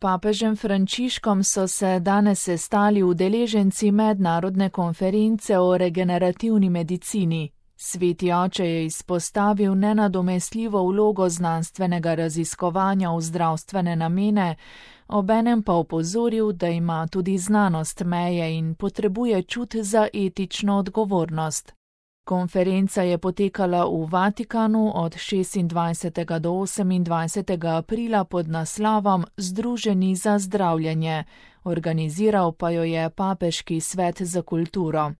papežem Frančiškom so se danes sestali udeleženci mednarodne konference o regenerativni medicini. Sveti oče je izpostavil nenadomestljivo vlogo znanstvenega raziskovanja v zdravstvene namene, obenem pa opozoril, da ima tudi znanost meje in potrebuje čut za etično odgovornost. Konferenca je potekala v Vatikanu od 26. do 28. aprila pod naslovom Združeni za zdravljenje, organiziral pa jo je Papeški svet za kulturo.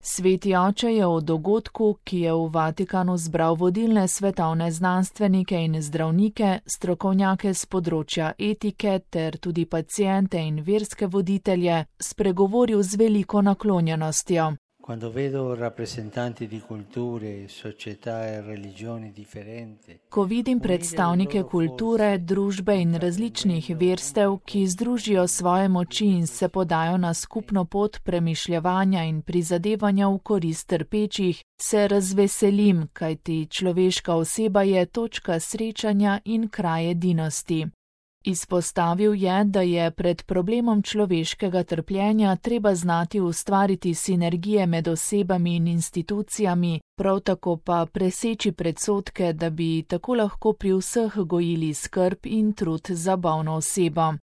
Sveti oče je o dogodku, ki je v Vatikanu zbral vodilne svetovne znanstvenike in zdravnike, strokovnjake z področja etike ter tudi paciente in verske voditelje, spregovoril z veliko naklonjenostjo. Quando vedo rappresentanti di culture, società e religioni differenti. Ko vidim predstavnike kulture, družbe in različnih verstev, ki združijo svoje moči in se podajo na skupno pot premišljevanja in prizadevanja v korist trpečih, se razveselim, kajti človeška oseba je točka srečanja in kraj edinosti. Izpostavil je, da je pred problemom človeškega trpljenja treba znati ustvariti sinergije med osebami in institucijami, prav tako pa preseči predsodke, da bi tako lahko pri vseh gojili skrb in trud za bolno osebo.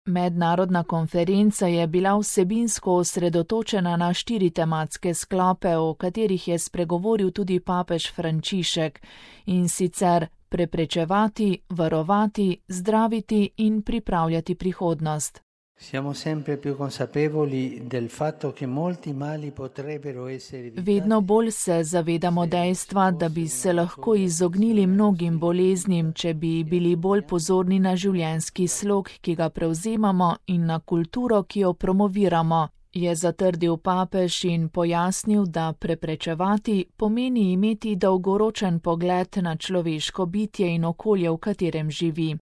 Mednarodna konferenca je bila vsebinsko osredotočena na 4 tematske sklope, o katerih je spregovoril tudi papež Frančišek, in sicer preprečevati, varovati, zdraviti in pripravljati prihodnost. Siamo sempre più consapevoli del fatto che molti mali potrebbero essere evitati. Vedno bolj se zavedamo dejstva, da bi se lahko izognili mnogim boleznim, če bi bili bolj pozorni na življenjski slog, ki ga prevzemamo, in na kulturo, ki jo promoviramo, je zatrdil papež in pojasnil, da preprečevati pomeni imeti dolgoročen pogled na človeško bitje in okolje, v katerem živi.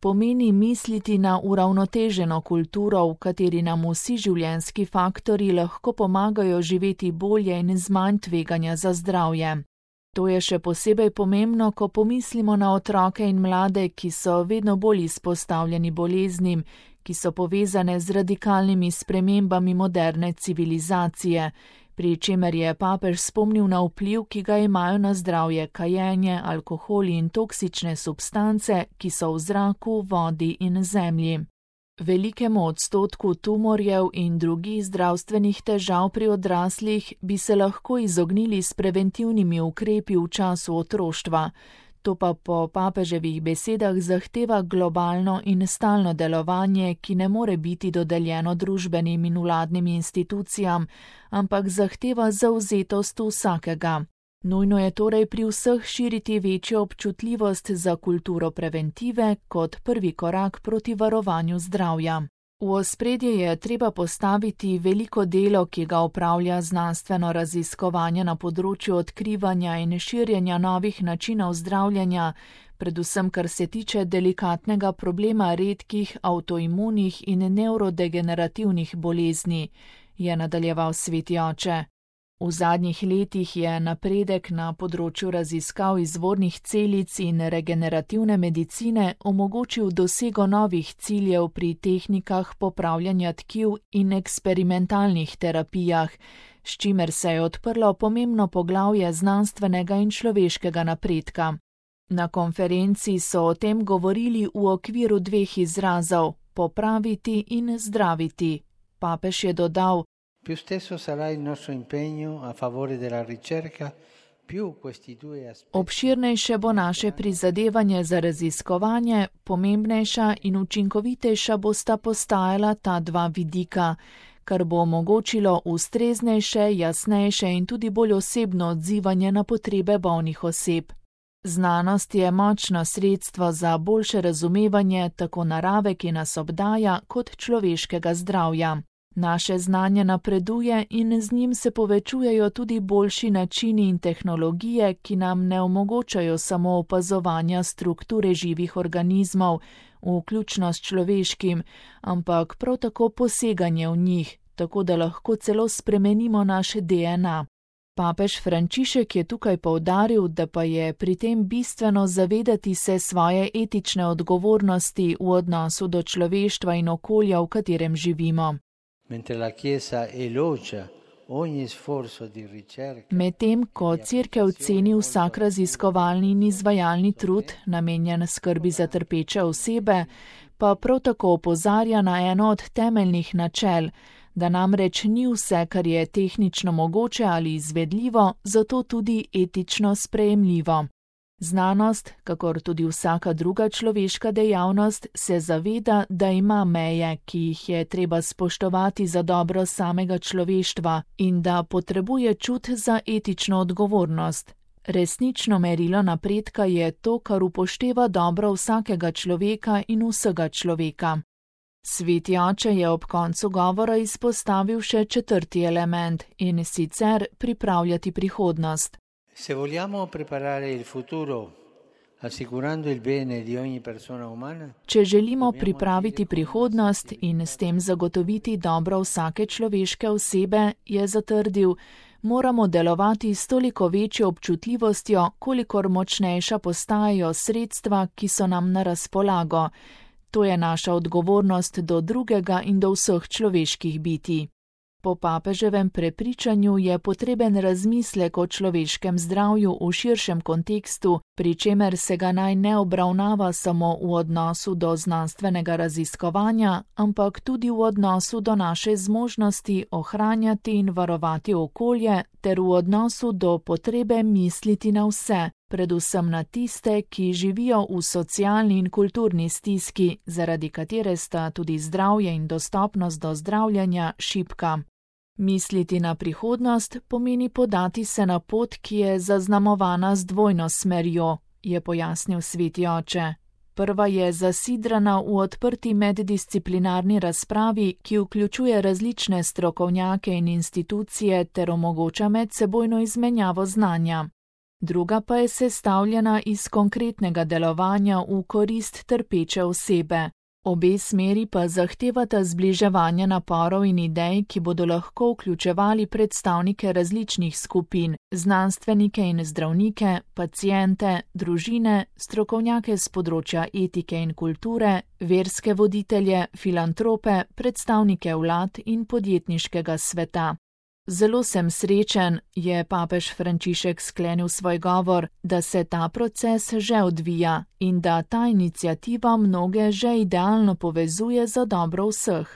Pomeni misliti na uravnoteženo kulturo, v kateri nam vsi življenjski faktorji lahko pomagajo živeti bolje in z manj tveganja za zdravje. To je še posebej pomembno, ko pomislimo na otroke in mlade, ki so vedno bolj izpostavljeni boleznim, ki so povezane z radikalnimi spremembami moderne civilizacije, pri čemer je papež spomnil na vpliv, ki ga imajo na zdravje kajenje, alkoholi in toksične substance, ki so v zraku, vodi in zemlji. Velikemu odstotku tumorjev in drugih zdravstvenih težav pri odraslih bi se lahko izognili s preventivnimi ukrepi v času otroštva. To pa po papeževih besedah zahteva globalno in stalno delovanje, ki ne more biti dodeljeno družbenim in vladnim institucijam, ampak zahteva zavzetost vsakega. Nujno je torej pri vseh širiti večjo občutljivost za kulturo preventive kot prvi korak proti varovanju zdravja. V ospredje je treba postaviti veliko delo, ki ga opravlja znanstveno raziskovanje na področju odkrivanja in širjenja novih načinov zdravljenja, predvsem kar se tiče delikatnega problema redkih avtoimunih in nevrodegenerativnih bolezni, je nadaljeval sveti oče. V zadnjih letih je napredek na področju raziskav izvornih celic in regenerativne medicine omogočil dosego novih ciljev pri tehnikah popravljanja tkiv in eksperimentalnih terapijah, s čimer se je odprlo pomembno poglavje znanstvenega in človeškega napredka. Na konferenci so o tem govorili v okviru 2 izrazov: popraviti in zdraviti. Papež je dodal: Più stesso sarà il nostro impegno a favore della ricerca, più questi 2 aspetti. Obširnejše bo naše prizadevanje za raziskovanje, pomembnejša in učinkovitejša bosta postajala ta 2 vidika, kar bo omogočilo ustreznejše, jasnejše in tudi bolj osebno odzivanje na potrebe bolnih oseb. Znanost je močno sredstvo za boljše razumevanje tako narave, ki nas obdaja, kot človeškega zdravja. Naše znanje napreduje in z njim se povečujejo tudi boljši načini in tehnologije, ki nam ne omogočajo samo opazovanja strukture živih organizmov, vključno s človeškim, ampak prav tako poseganje v njih, tako da lahko celo spremenimo naše DNA. Papež Frančišek je tukaj poudaril, da pa je pri tem bistveno zavedati se svoje etične odgovornosti v odnosu do človeštva in okolja, v katerem živimo. Medtem ko Cerkev ceni vsak raziskovalni in izvajalni trud, namenjen skrbi za trpeče osebe, pa prav tako opozarja na eno od temeljnih načel, da namreč ni vse, kar je tehnično mogoče ali izvedljivo, zato tudi etično sprejemljivo. Znanost, kakor tudi vsaka druga človeška dejavnost, se zaveda, da ima meje, ki jih je treba spoštovati za dobro samega človeštva in da potrebuje čut za etično odgovornost. Resnično merilo napredka je to, kar upošteva dobro vsakega človeka in vsega človeka. Sveti oče je ob koncu govora izpostavil še 4. element, in sicer pripravljati prihodnost. Se vogliamo preparare il futuro, assicurando il bene di ogni persona umana, Če želimo pripraviti prihodnost in s tem zagotoviti dobro vsake človeške osebe, je zatrdil, moramo delovati s toliko večjo občutljivostjo, kolikor močnejša postajajo sredstva, ki so nam na razpolago. To je naša odgovornost do drugega in do vseh človeških bitij. Po papeževem prepričanju je potreben razmislek o človeškem zdravju v širšem kontekstu, pri čemer se ga naj ne obravnava samo v odnosu do znanstvenega raziskovanja, ampak tudi v odnosu do naše zmožnosti ohranjati in varovati okolje ter v odnosu do potrebe misliti na vse, predvsem na tiste, ki živijo v socialni in kulturni stiski, zaradi katere sta tudi zdravje in dostopnost do zdravljenja šibka. Misliti na prihodnost pomeni podati se na pot, ki je zaznamovana z dvojno smerjo, je pojasnil sveti oče. Prva je zasidrana v odprti meddisciplinarni razpravi, ki vključuje različne strokovnjake in institucije ter omogoča medsebojno izmenjavo znanja. Druga pa je sestavljena iz konkretnega delovanja v korist trpeče osebe. Obe smeri pa zahtevata zbliževanje naporov in idej, ki bodo lahko vključevali predstavnike različnih skupin, znanstvenike in zdravnike, paciente, družine, strokovnjake z področja etike in kulture, verske voditelje, filantrope, predstavnike vlad in podjetniškega sveta. Zelo sem srečen, je papež Frančišek sklenil svoj govor, da se ta proces že odvija in da ta iniciativa mnoge že idealno povezuje za dobro vseh.